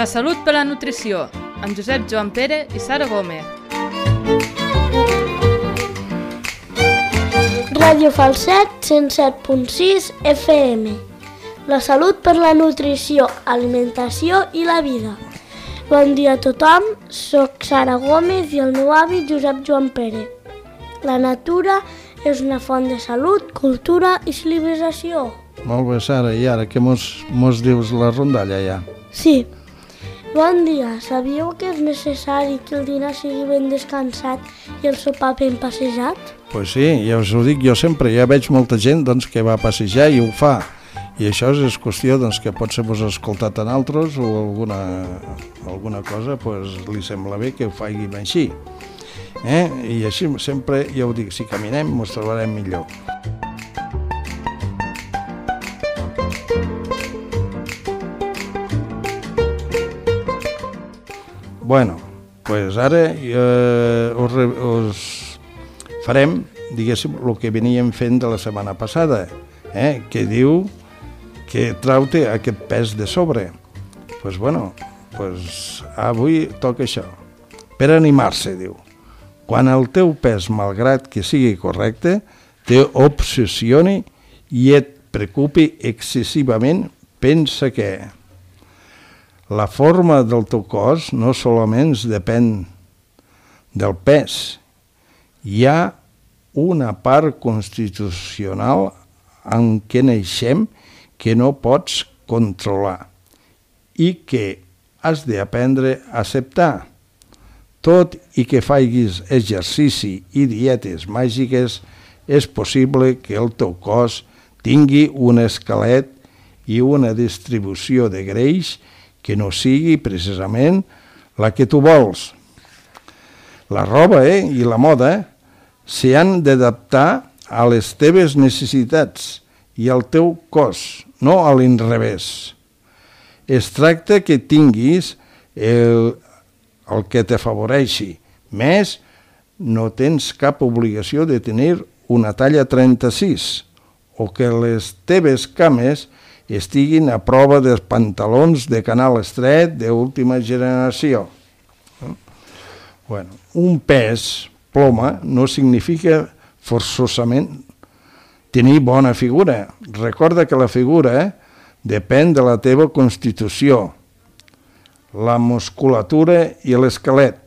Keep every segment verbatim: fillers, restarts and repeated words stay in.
La salut per la nutrició, amb Josep Joan Pere i Sara Gómez. Ràdio Falset cent set punt sis F M. La salut per la nutrició, alimentació i la vida. Bon dia a tothom, soc Sara Gómez i el meu avi Josep Joan Pere. La natura és una font de salut, cultura i civilització. Molt bé, Sara, i ara què mos, mos dius la rondalla ja? Sí. Bon dia, sabíeu que és necessari que el dinar sigui ben descansat i el sopar ben passejat? Pues sí, ja us ho dic jo sempre, ja veig molta gent doncs, que va a passejar i ho fa. I això és qüestió doncs, que potser vos ha escoltat en altres o alguna, alguna cosa pues, li sembla bé que ho faci així. Eh? I així sempre, ja ho dic, si caminem ens trobarem millor. Bueno, pues ara eh, us, us farem, diguéssim, el que veníem fent de la setmana passada, eh? Que diu que trau-te aquest pes de sobre. Doncs pues bueno, pues avui toca això. Per animar-se, diu. Quan el teu pes, malgrat que sigui correcte, te obsessioni i et preocupi excessivament, pensa que la forma del teu cos no solament depèn del pes. Hi ha una part constitucional en què naixem que no pots controlar i que has d'aprendre a acceptar. Tot i que facis exercici i dietes màgiques, és possible que el teu cos tingui un esquelet i una distribució de greix que no sigui precisament la que tu vols. La roba eh, i la moda s'hi han d'adaptar a les teves necessitats i al teu cos, no a l'inrevés. Es tracta que tinguis el, el que t'afavoreixi. Més, no tens cap obligació de tenir una talla trenta-sis o que les teves cames estiguin a prova dels pantalons de canal estret d'última generació. Bueno, un pes ploma no significa forçosament tenir bona figura. Recorda que la figura depèn de la teva constitució, la musculatura i l'esquelet.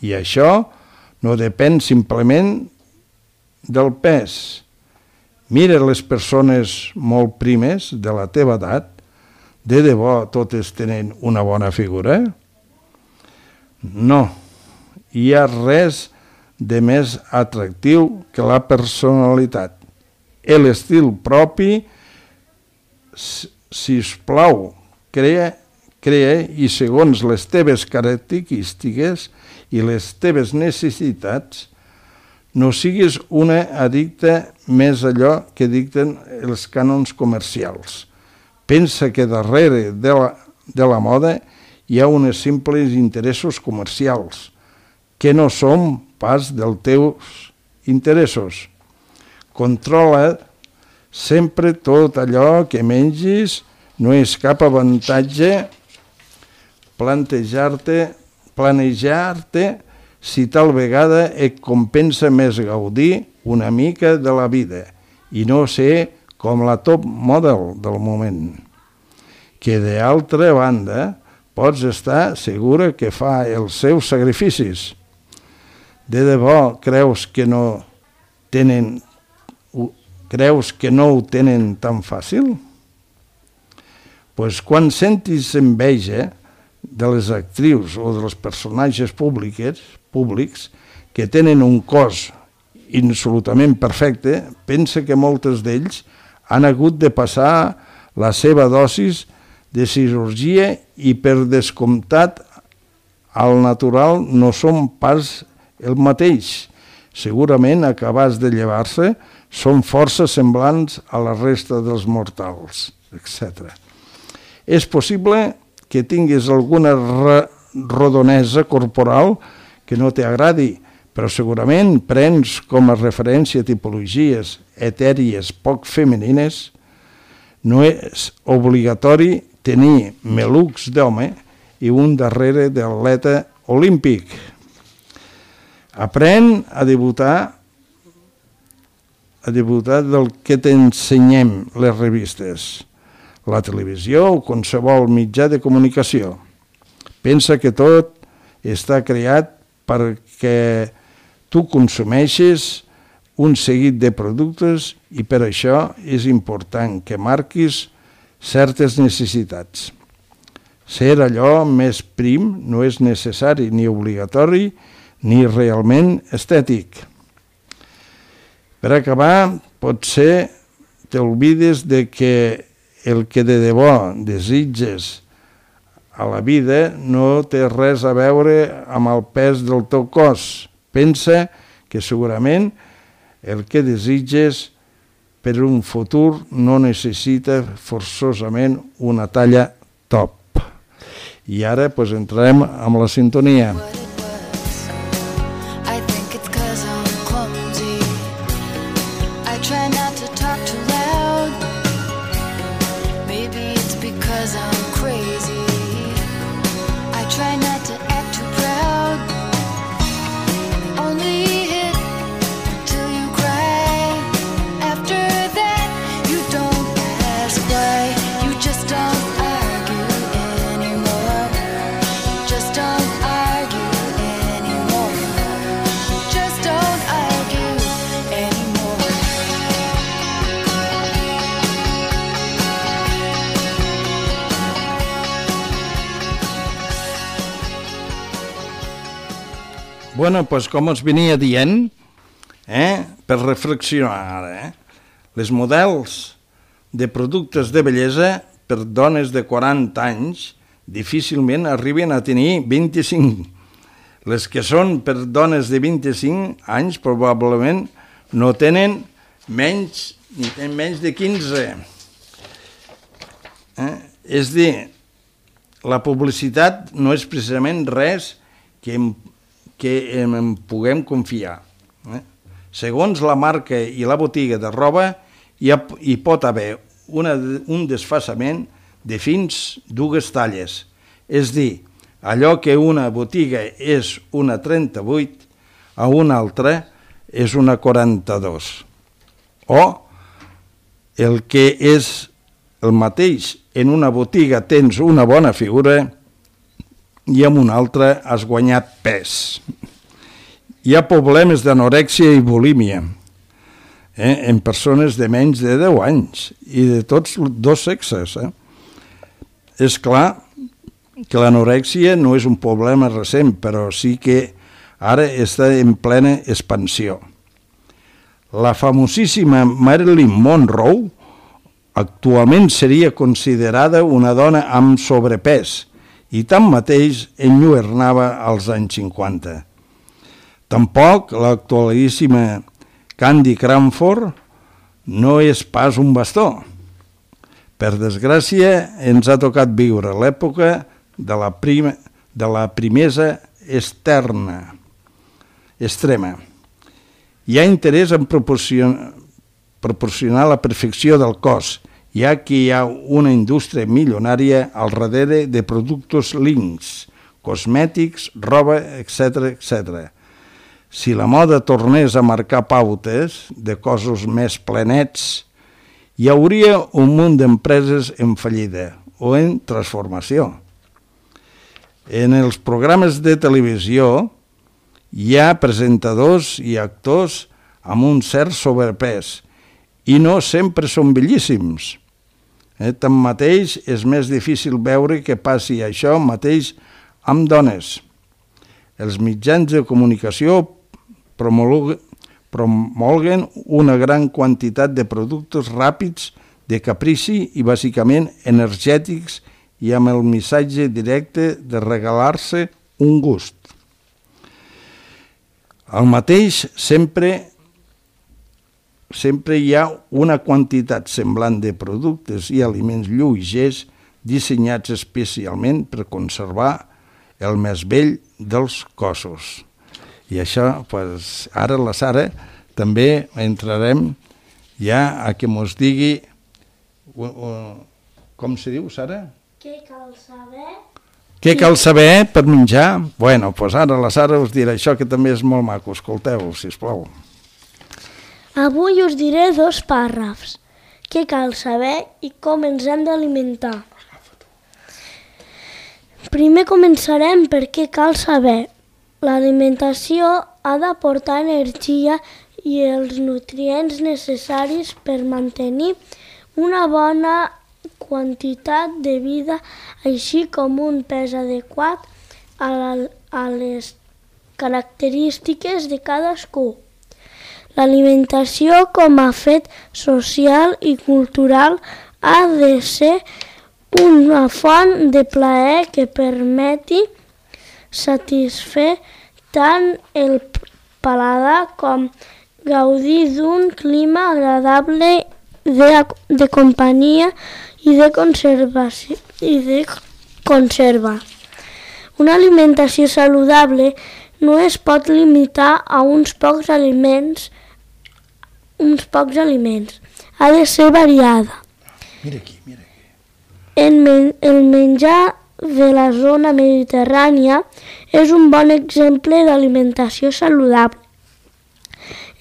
I això no depèn simplement del pes. Mira les persones molt primes de la teva edat, de debò totes tenen una bona figura? No, hi ha res de més atractiu que la personalitat. L'estil propi, si us plau, crea, crea i segons les teves característiques i les teves necessitats, no siguis una addicta més allò que dicten els cànons comercials. Pensa que darrere de la, de la moda hi ha uns simples interessos comercials, que no són pas dels teus interessos. Controla sempre tot allò que mengis, no és cap avantatge plantejar-te, planejar-te si tal vegada et compensa més gaudir una mica de la vida i no ser com la top model del moment, que d'altra banda pots estar segura que fa els seus sacrificis. De debò creus que no tenen, creus que no ho tenen tan fàcil? Pues quan sentis enveja de les actrius o dels personatges públics, públics que tenen un cos absolutament perfecte, pensa que moltes d'ells han hagut de passar la seva dosis de cirurgia i per descomptat al natural no són pas el mateix. Segurament acabats de llevar-se són força semblants a la resta dels mortals, etcètera. És possible que tinguis alguna rodonesa corporal que no t'agradi, però segurament prens com a referència tipologies etèries poc femenines. No és obligatori tenir melucs d'home i un darrere de l'atleta olímpic. Aprèn a debutar a debutar del que t'ensenyem les revistes, la televisió o qualsevol mitjà de comunicació. Pensa que tot està creat perquè tu consumeixes un seguit de productes i per això és important que marquis certes necessitats. Ser allò més prim no és necessari ni obligatori ni realment estètic. Per acabar, potser t'oblides de que el que de debò desitges a la vida no té res a veure amb el pes del teu cos. Pensa que segurament el que desitges per un futur no necessita forçosament una talla top. I ara pues, entrarem amb la sintonia. Bueno, pues com us venia dient, eh, per reflexionar ara, eh, les models de productes de bellesa per dones de quaranta anys difícilment arriben a tenir vint-i-cinc. Les que són per dones de vint-i-cinc anys probablement no tenen menys, ni tenen menys de quinze. Eh? És dir, la publicitat no és precisament res que em que en puguem confiar. Eh? Segons la marca i la botiga de roba, hi, ha, hi pot haver una, un desfasament de fins dues talles. És dir, allò que una botiga és una trenta-vuit, a una altra és una quaranta-dos. O el que és el mateix, en una botiga tens una bona figura i en una altra has guanyat pes. Hi ha problemes d'anorèxia i bulímia eh, en persones de menys de deu anys i de tots dos sexes. Eh. És clar que l'anorèxia no és un problema recent, però sí que ara està en plena expansió. La famosíssima Marilyn Monroe actualment seria considerada una dona amb sobrepès, i tanmateix enlluernava als anys cinquanta. Tampoc l'actualíssima Candy Crawford no és pas un bastó. Per desgràcia, ens ha tocat viure l'època de la, prima, de la primesa externa, extrema. Hi ha interès en proporcionar, proporcionar la perfecció del cos, ja que hi ha una indústria milionària al darrere de productes links, cosmètics, roba, etcètera, etcètera. Si la moda tornés a marcar pautes de cossos més plenets, hi hauria un munt d'empreses en fallida o en transformació. En els programes de televisió hi ha presentadors i actors amb un cert sobrepès i no sempre són bellíssims. Eh, tanmateix, és més difícil veure que passi això mateix amb dones. Els mitjans de comunicació promulguen una gran quantitat de productes ràpids, de caprici i bàsicament energètics i amb el missatge directe de regalar-se un gust. El mateix sempre Sempre hi ha una quantitat semblant de productes i aliments lleugers dissenyats especialment per conservar el més vell dels cossos. I això, pues, ara la Sara també entrarem ja a que mos digui, uh, uh, com se diu, Sara? Què cal saber Què cal saber per menjar? Bueno, doncs ara la Sara us dirà això, que també és molt maco. Escolteu, sisplau. Avui us diré dos pàrrafs. Què cal saber i com ens hem d'alimentar. Primer començarem per què cal saber. L'alimentació ha d'aportar energia i els nutrients necessaris per mantenir una bona quantitat de vida, així com un pes adequat a, la, a les característiques de cadascú. L'alimentació com a fet social i cultural ha de ser una font de plaer que permeti satisfer tant el paladar com gaudir d'un clima agradable de, de companyia i de conservació i de conserva. Una alimentació saludable no es pot limitar a uns pocs aliments, uns pocs aliments. Ha de ser variada. Mira aquí, mira aquí. El, men el menjar de la zona mediterrània és un bon exemple d'alimentació saludable.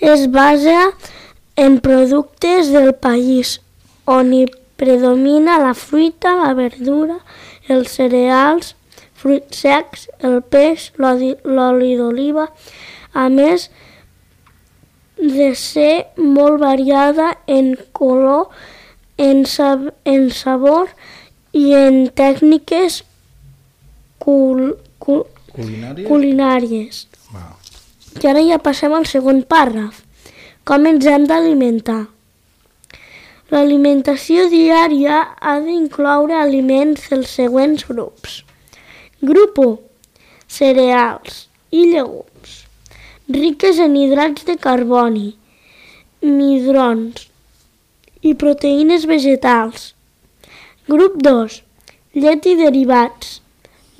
Es basa en productes del país, on hi predomina la fruita, la verdura, els cereals, fruits secs, el peix, l'oli d'oliva, a més de ser molt variada en color, en, sab en sabor i en tècniques cul cul culinàries. culinàries. Wow. I ara ja passem al segon pàrraf. Com ens hem d'alimentar? L'alimentació diària ha d'incloure aliments dels següents grups. Grup u. Cereals i llegums, riques en hidrats de carboni, midrons i proteïnes vegetals. Grup dos. Llet i derivats,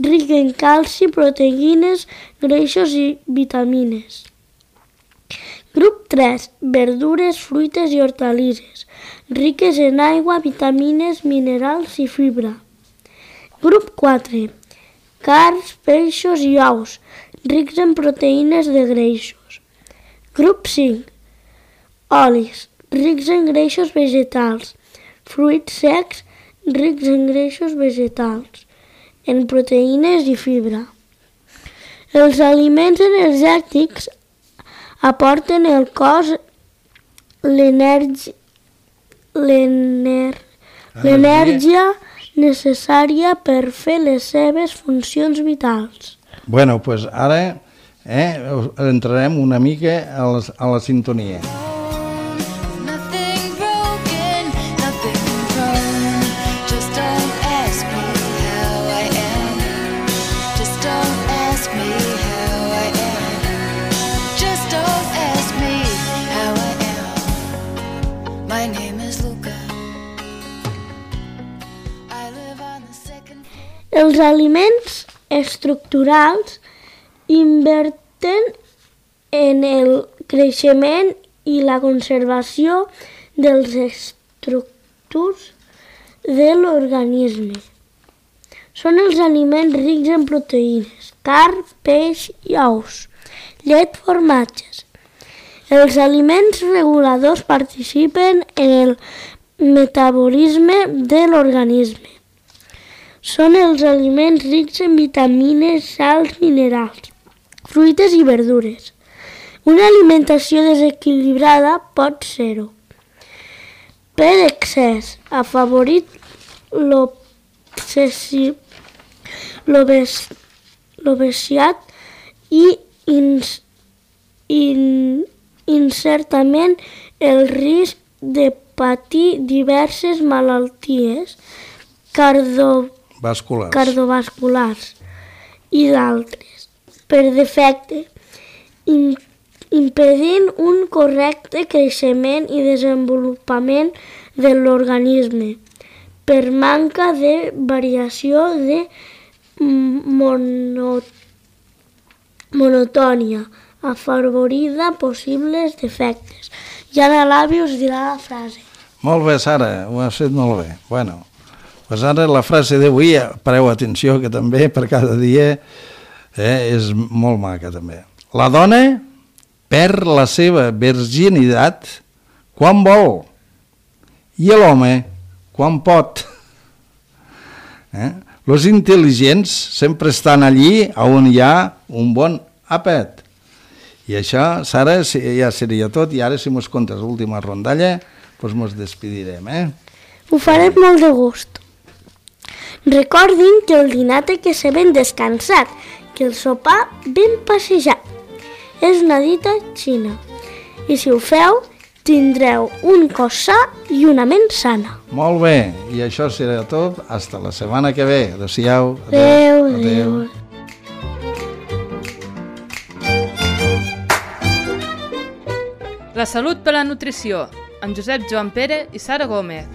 ric en calci, proteïnes, greixos i vitamines. Grup tres. Verdures, fruites i hortalisses, riques en aigua, vitamines, minerals i fibra. Grup quatre. Carns, peixos i ous, rics en proteïnes de greixos. Grup cinc. Olis, rics en greixos vegetals, fruits secs, rics en greixos vegetals, en proteïnes i fibra. Els aliments energètics aporten al cos l'energia necessària per fer les seves funcions vitals. Bueno, doncs pues ara eh, entrarem una mica a la, a la sintonia. Els aliments estructurals inverten en el creixement i la conservació dels estructurs de l'organisme. Són els aliments rics en proteïnes, carn, peix i ous, llet, formatges. Els aliments reguladors participen en el metabolisme de l'organisme. Són els aliments rics en vitamines, sals, minerals, fruites i verdures. Una alimentació desequilibrada pot ser-ho. Per excés, afavorit l'obesitat i ins, in, incertament el risc de patir diverses malalties cardiovasculars Vasculars. cardiovasculars i d'altres, per defecte, in, impedint un correcte creixement i desenvolupament de l'organisme, per manca de variació de mono, monotònia, afavorida possibles defectes. I ara l'àvia us dirà la frase. Molt bé, Sara, ho has fet molt bé. Bueno, Pues ara la frase d'avui, pareu atenció, que també per cada dia eh, és molt maca també. La dona perd la seva virginitat quan vol i l'home quan pot. Eh? Los intel·ligents sempre estan allí on hi ha un bon àpat. I això, Sara, ja seria tot. I ara, si mos contes l'última rondalla, doncs mos despedirem, eh? Ho farem molt de gust. Recordin que el dinar té que ser ben descansat, que el sopar ben passejat. És una dita xina. I si ho feu, tindreu un cos sa i una ment sana. Molt bé, i això serà tot. Hasta la setmana que ve. Adéu-siau. Adéu, adéu. La salut per la nutrició, amb Josep Joan Pere i Sara Gómez.